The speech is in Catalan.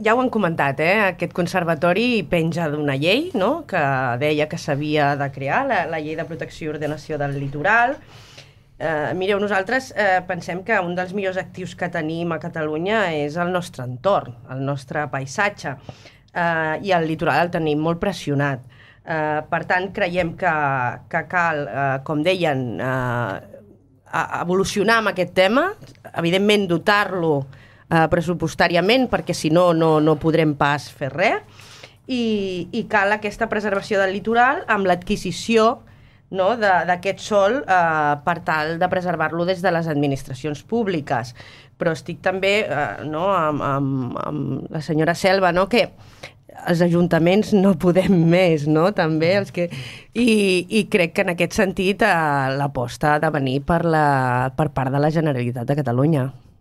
ja ho han comentat, aquest conservatori penja d'una llei, no?, que deia que s'havia de crear, la llei de protecció i ordenació del litoral. Mireu, nosaltres pensem que un dels millors actius que tenim a Catalunya és el nostre entorn, el nostre paisatge, i el litoral el tenim molt pressionat. Per tant, creiem que cal, com deien, evolucionar amb aquest tema, evidentment dotar-lo pressupostàriament, perquè si no, no podrem pas fer res, i cal aquesta preservació del litoral amb l'adquisició, no, d'aquest sòl per tal de preservar-lo des de les administracions públiques. Però estic també amb la senyora Selva, no, que els ajuntaments no podem més, no? També els que... I crec que en aquest sentit l'aposta ha de venir per part de la Generalitat de Catalunya.